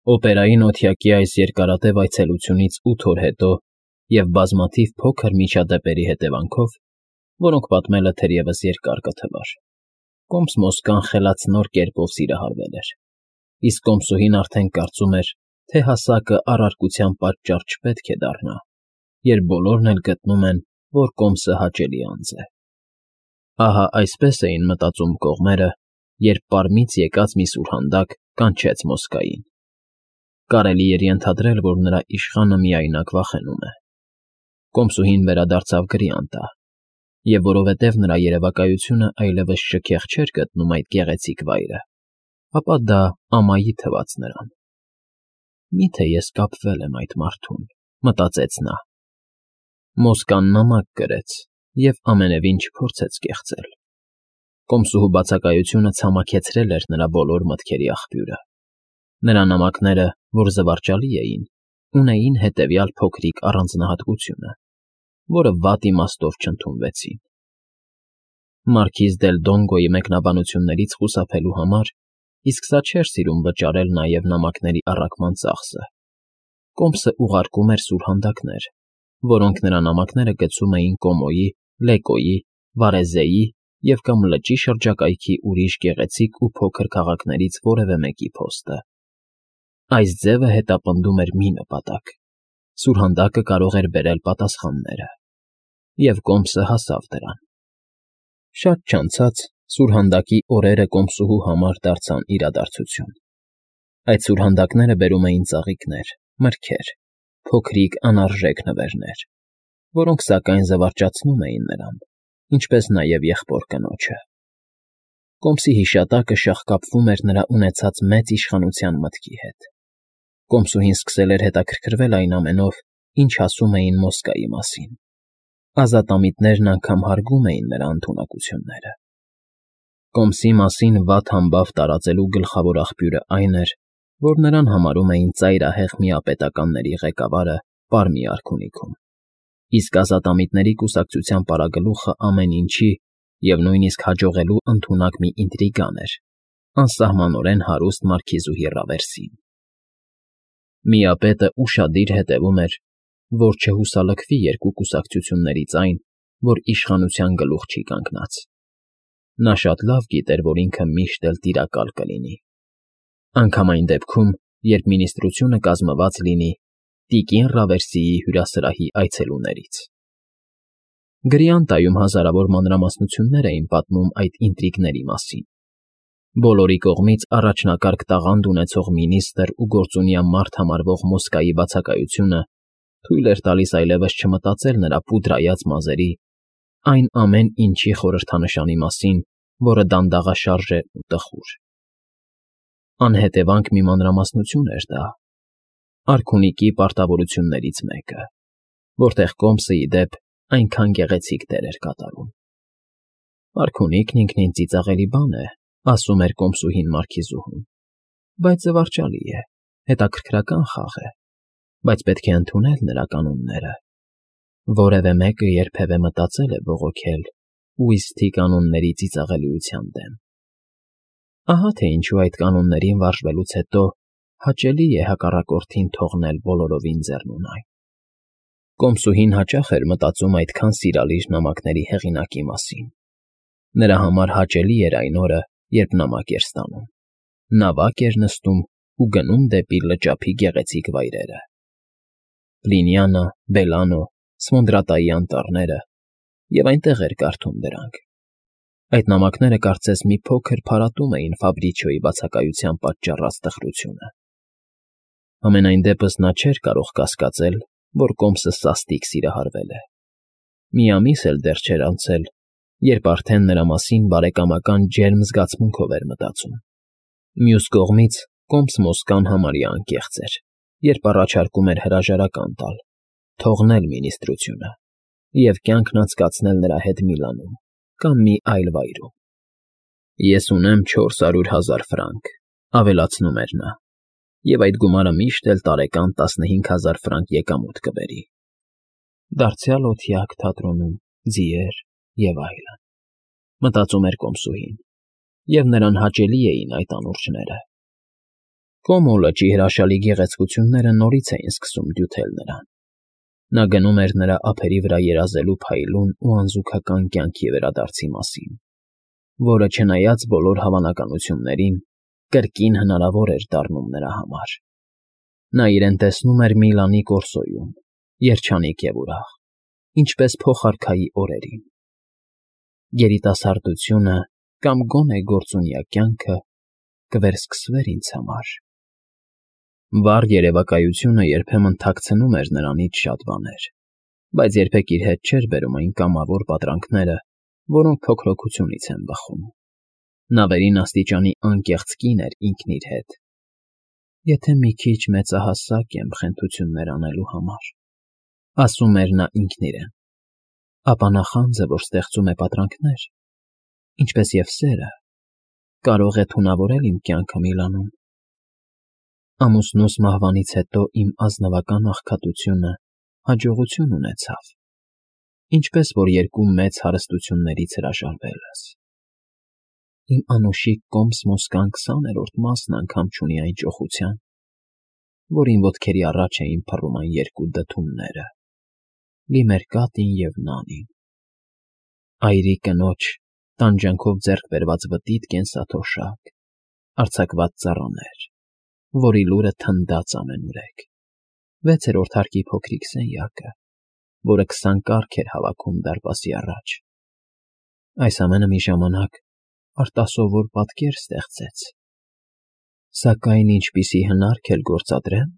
Օպերայի նոթյակի այս երկարատև այցելությունից 8 օր հետո և բազմաթիվ փոքր միջադեպերի հետևանքով, որոնք պատմելը թերևս երկար կթվար, Կոմս֊Մոսկան խելացնոր կերպով սիրահարվել էր, իսկ կոմսուհին արդեն կարծում էր, թե հասակը առարկության պատճառ չպետք է դառնա, երբ բոլորն էլ գտնում են, որ Կոմսը հաճելի անձ է։ Ահա այսպես էին մտածում կողմերը, երբ պարմից եկած մի սուրհանդակ կանչեց Մոսկային։ Կարելի էր ենթադրել, որ նրա իշխանը միայնակ վախենում է։ Կոմսուհին վերադարձավ գրիանտա, և որովհետև նրա երևակայությունը այլևս շքեղ չէր գտնում այդ գեղեցիկ վայրը, ապա դա ամայի թվաց նրան։ «Մի՞թե ես կապվել եմ այդ մարդուն», մտածեց նա։ Մոսկան նամակ գրեց և ամենևին չփորձեց կեղծել։ Կոմսուհու բացակայությունը ցամաքեցրել էր նրա բոլոր մտքերի աղբյուրը։ Նրա նամակները, որ զվարճալի էին, ունեին հետևյալ փոքրիկ առանձնահատկությունը, որը վատ իմաստով չընդունվեցին։ Մարքիզ դել Դոնգոյի մեկնաբանություններից խուսափելու համար, իսկ սա չէր սիրում վճարել նաև նամակների առաքման ծախսը, Կոմսը ուղարկում էր սուրհանդակներ, որոնք նրա նամակները գցում էին Կոմոյի, Լեկոյի, Վարեզեի և կամ լճի շրջակայքի ուրիշ գեղեցիկ ու փոքր քաղաքներից որևէ մեկի փոստը։ Այս ձևը հետապնդում էր մի նպատակ. սուրհանդակը կարող էր բերել պատասխանները, և Կոմսը հասավ դրան։ Շատ չանցած սուրհանդակի օրերը կոմսուհու համար դարձան իրադարձություն։ Այդ սուրհանդակները բերում էին ծաղիկներ, մրգեր, փոքրիկ անարժեք նվերներ, որոնք սակայն զվարճացնում էին նրան, ինչպես նաև եղբոր կնոջը։ Կոմսի հիշատակը շաղկապվում էր նրա ունեցած մեծ իշխանության մտքի հետ։ Կոմսուհին սկսել էր հետաքրքրվել այն ամենով, ինչ ասում էին Մոսկվայի մասին։ Ազատամիտներն անգամ հարգում էին նրա ընդունակությունները։ Կոմսի մասին վատ համբավ տարածելու գլխավոր աղբյուրը այն էր, որ նրան համարում էին ծայրահեղ միապետականների ղեկավարը Պարմի արքունիքում, իսկ ազատամիտների կուսակցության պարագլուխը ամեն ինչի և նույնիսկ հաջողելու ընդունակ մի ինտրիգան էր, անսահմանորեն հարուստ մարքիզուհի Ռավերսին։ Միապետը ուշադիր հետևում էր, որ չհուսալքվի երկու կուսակցություններից այն, որ իշխանության գլուխ չի կանգնած։ Նա շատ լավ գիտեր, որ ինքը միշտ էլ տիրակալ կլինի։ Անգամ այն դեպքում, երբ մինիստրությունը կազմված լինի տիկին Ռավերսիի հյուրասրահի այցելուներից։ Գրիանտայում հազարավոր մանրամասնություններ էին պատմում այդ ինտրիգների մասին։ Բոլորի կողմից առաջնակարգ տաղանդ ունեցող մինիստր ու գործունյա մարդ համարվող Մոսկվայի բացակայությունը թույլ էր տալիս այլևս չմտածել նրա պուդրայած մազերի, այն ամեն ինչի խորհրդանշանի մասին, որը դանդաղաշարժ է ու տխուր։ Անհետևանք մի մանրամասնություն էր դա, արքունիքի պարտավորություններից մեկը, որտեղ Կոմսը, ի դեպ, այնքան գեղեցիկ դեր էր կատարում։ Արքունիքն ինքնին ծիծաղելի բան է, ասում էր կոմսուհին մարքիզուհուն, բայց զվարճալի է, հետաքրքրական խաղ է, բայց պետք է ընդունել նրա կանոնները։ Որևէ մեկը երբևէ մտածել է բողոքել ուիզթի կանոնների ծիծաղելիության դեմ։ Ահա թե ինչու այդ կանոններին վարժվելուց հետո հաճելի է հակառակորդին թողնել բոլորովին ձեռնունայն։ Կոմսուհին հաճախ էր մտածում այդքան սիրալիր նամակների հեղինակի մասին։ Նրա համար հաճելի էր այն օրը, երբ նամակ էր ստանում։ Նավակ էր նստում ու գնում դեպի լճափի գեղեցիկ վայրերը։ Պլինիանա, Բելանո, Սմոնդրատայի անտառները, և այնտեղ էր կարդում դրանք։ Այդ նամակները կարծես մի փոքր փարատում էին Ֆաբրիչիոյի բացակայության պատճառած տխրությունը։ Համենայն դեպս նա չէր կարող կասկածել, որ Կոմսը սաստիկ սիրահարվել է։ Մի ամիս էլ դեռ չէր անցել, երբ արդեն նրա մասին բարեկամական ջերմ զգացմունքով էր մտածում։ Մյուս կողմից Կոմս֊Մոսկան համարյա անկեղծ էր, երբ առաջարկում էր հրաժարական տալ, թողնել մինիստրությունը և կյանքն անցկացնել նրա հետ Միլանում կամ մի այլ վայրում։ Ես ունեմ 400,000 ֆրանկ, ավելացնում էր նա, և այդ գումարը միշտ էլ տարեկան 15,000 ֆրանկ եկամուտ կբերի։ Դարձյալ օթյակ թատրոնում, ձիեր և այլն, մտածում էր կոմսուհին, և նրան հաճելի էին այդ անուրջները։ Կոմո լճի հրաշալի գեղեցկությունները նորից էին սկսում դյութել նրան։ Նա գնում էր նրա ափերի վրա երազելու փայլուն ու անզուգական կյանքի վերադարձի մասին, որը, չնայած բոլոր հավանականություններին, կրկին հնարավոր էր դառնում նրա համար։ Նա իրեն տեսնում էր Միլանի Կորսոյում, երջանիկ և ուրախ, ինչպես փոխարքայի օրերին։ Երիտասարդությունը կամ գոնե գործունյա կյանքը կվերսկսվեր ինձ համար։ Վառ երևակայությունը երբեմն թաքցնում էր նրանից շատ բաներ, բայց երբեք իր հետ չէր բերում այն կամավոր պատրանքները, որոնք փոքրօգությունից են բխում։ Նա վերին աստիճանի անկեղծ կին էր ինքն իր հետ։ Եթե մի քիչ մեծահասակ եմ խենթություններ անելու համար, ասում էր նա ինքն իրեն, ապա նախանձը, որ ստեղծում է պատրանքներ, ինչպես և սերը, կարող է թունավորել իմ կյանքը Միլանում։ Ամուսնուս մահվանից հետո իմ ազնվական աղքատությունը հաջողություն ունեցավ, ինչպես որ երկու մեծ հարստություններից հրաժարվելս։ Իմ անուշիկ Կոմս֊Մոսկան 20-րդ մասն անգամ չունի այն ճոխության, որին ոտքերի առաջ էին փռում այն երկու դդումները՝ Լիմերկատին և Նանին։ Այրի կնոջ տանջանքով ձեռք բերված վտիտ կենսաթոշակ, արձակված ծառաներ, որի լուրը թնդաց ամենուրեք, 6-րդ հարկի փոքրիկ սենյակը, որը 20 կառք էր հավաքում դարպասի առաջ։ Այս ամենը մի ժամանակ արտասովոր պատկեր ստեղծեց, սակայն ինչպիսի հնարք էլ գործադրեմ,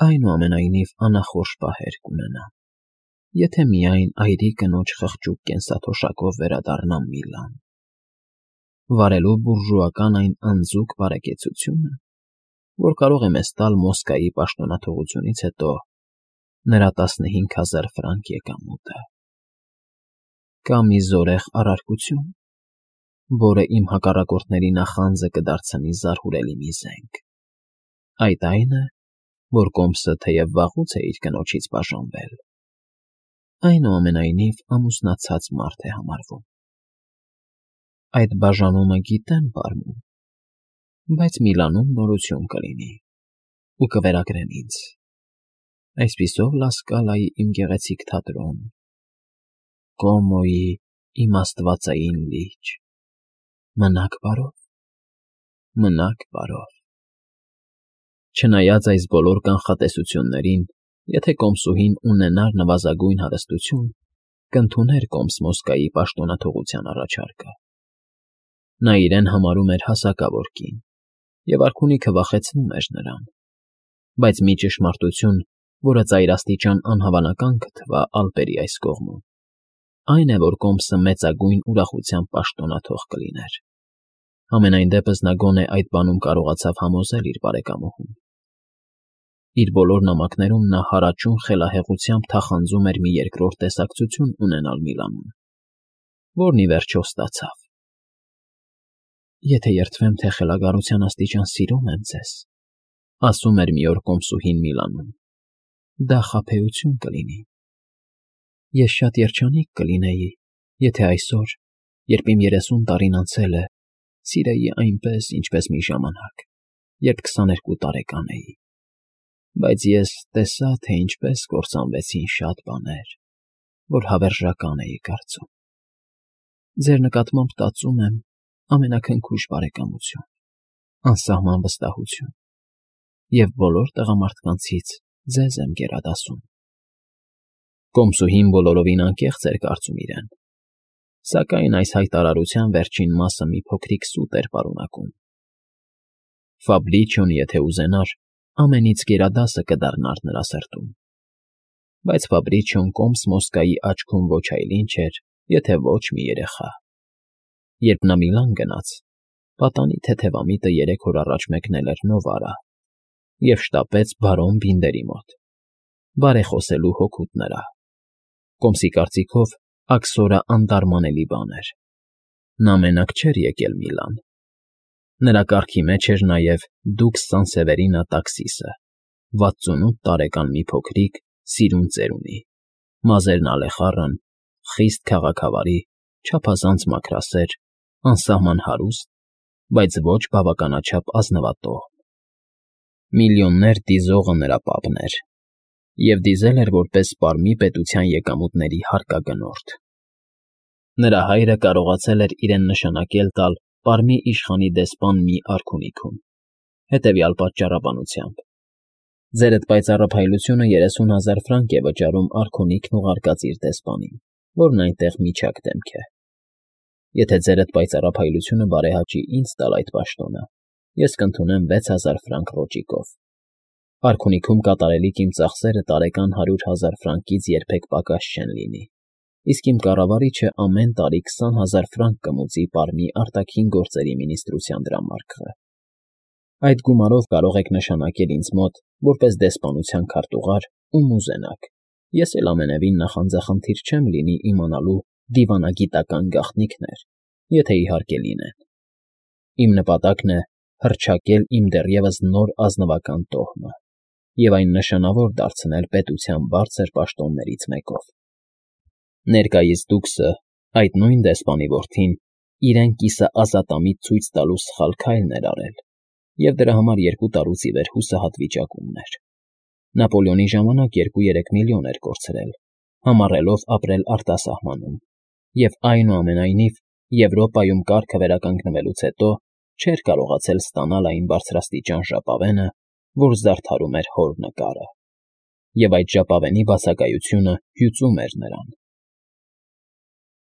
այնուամենայնիվ անախորժ պահեր կունենամ, եթե միայն այրի կնոջ խղճուկ կենսաթոշակով վերադառնամ Միլան, վարելու բուրժուական այն անձուկ բարեկեցությունը, որ կարող է մեզ տալ Մոսկվայի պաշտոնաթողությունից հետո նրա 15,000 ֆրանկ եկամուտը։ Կա մի զորեղ առարկություն, որը իմ հակառակորդների նախանձը կդարձնի զարհուրելի մի զենք։ Այդ այն է, որ Կոմսը թեև վաղուց է իր կնոջից բաժանվել, այնուամենայնիվ ամուսնացած մարդ է համարվում։ Այդ բաժանումը գիտեմ բարմում, բայց Միլանում նորություն կլինի ու կվերագրեն ինձ, այսպիսով Լասկալայի իմ գեղեցիկ թատրոն, Կոմոյի իմ աստվածային լիճ, մնաք բարով, մնաք բարով։ Չնայած այս բոլոր կանխատեսություններին, եթե Կոմսուհին ունենար նվազագույն հարստություն, կընդուներ Կոմս֊Մոսկվայի պաշտոնաթողության առաջարկը։ Նա իրեն համարում էր հասակավոր կին, և արքունիքը վախեցնում էր նրան, բայց մի ճշմարտություն, որը ծայրաստիճան անհավանական կթվա ալպերի այս կողմում, այն է, որ Կոմսը մեծագույն ուրախությամբ պաշտոնաթող կլիներ։ Համենայն դեպս նա գոնե այդ բանում կարողացավ համոզել իր բարեկամուհուն։ Իր բոլոր նամակներում նա հարաճուն խելահեղությամբ թախանձում էր մի երկրորդ տեսակցություն ունենալ Միլանում, որն ի վերջո ստացավ։ Եթե երդվեմ, թե խելագարության աստիճան սիրում եմ ձեզ, ասում էր մի օր Կոմսուհին Միլանում, դա խաբեություն կլինի։ Ես շատ երջանիկ կլինեի, եթե այսօր, երբ իմ 30 տարին անցել է, սիրեի այնպես, ինչպես մի ժամանակ, երբ 22 տարեկան էի, բայց ես տեսա, թե ինչպես կործանվեցին շատ բաներ, որ հավերժական էի կարծում։ Ձեր նկատմամբ տածում եմ ամենաքնքուշ բարեկամություն, անսահման վստահություն, և բոլոր տղամարդկանցից ձեզ եմ գերադասում։ Կոմսուհին բոլորովին անկեղծ էր կարծում իրեն, սակայն այս հայտարարության վերջին մասը մի փոքրիկ սուտ էր պարունակում։ Ֆաբրիչիոն, եթե ուզենար, ամենից գերադասը կդառնար նրա սրտում, բայց Ֆաբրիչիոն Կոմս֊Մոսկվայի աչքում ոչ այլ ինչ էր, եթե ոչ մի երեխա։ Երբ նա Միլան գնաց, պատանի թեթևամիտը 3 օր առաջ մեկնել էր Նովարա և շտապեց բարոն Բինդերի մոտ, բարեխոսելու հօգուտ նրա։ Կոմսի կարծիքով աքսորը անդարմանելի բան էր։ Նա մենակ չէր եկել Միլան։ Նրա կարգի մեջ էր նաև Դուքս Սանսևերինա տաքսիսը, 68 տարեկան մի փոքրիկ, սիրուն ծերունի, մազերն ալեխառն, խիստ քաղաքավարի, չափազանց մաքրասեր, անսահման հարուստ, բայց ոչ բավականաչափ ազնվատոհ, Միլիոններ դիզողը նրա պապն էր, և դիզել էր որպես Պարմի պետության եկամուտների հարկագնորդ։ Նրա հայրը կարողացել էր իրեն նշանակել տալ Պարմի իշխանի դեսպան մի արքունիքում, հետևյալ պատճառաբանությամբ. ձերդ պայծառափայլությունը 30,000 ֆրանկ է վճարում արքունիքն ուղարկած իր դեսպանին, որն այնտեղ միջակ դեմք է։ Եթե ձերդ պայծառափայլությունը բարեհաճի ինձ տալ այդ պաշտոնը, ես կընդունեմ 6,000 ֆրանկ ռոճիկով։ Արքունիքում կատարելիք իմ ծախսերը տարեկան 100,000 ֆրանկից երբեք պակաս չեն լինի, իսկ իմ կառավարիչը ամեն տարի 20,000 ֆրանկ կմուծի Պարմի արտաքին գործերի մինիստրության դրամարկղը։ Այդ գումարով կարող եք նշանակել ինձ մոտ, որպես դեսպանության քարտուղար, ում ուզենաք, ես էլ ամենևին նախանձախնդիր չեմ լինի իմանալու դիվանագիտական գաղտնիքներ, եթե իհարկե լինեն։ Իմ նպատակն է հռչակել իմ դեռևս նոր ազնվական տոհմը և այն նշանավոր դարձնել պետության բարձր պաշտոններից մեկով։ Ներկայիս դուքսը, այդ նույն դեսպանի որդին, իրեն կիսը ազատամիտ ցույց տալու սխալ քայլն էր արել, և դրա համար 2 տարուց ի վեր հուսահատ վիճակումն էր։ Նապոլեոնի ժամանակ 2-3 միլիոն էր կորցրել, համառելով ապրել արտասահմանում, և այնուամենայնիվ Եվրոպայում կարգը վերականգնվելուց հետո չէր կարողացել ստանալ այն բարձրաստիճան ժապավենը, որ զարդարում էր հոր նկարը, և այդ ժապավենի բացակայությունը հյուծում էր նրան։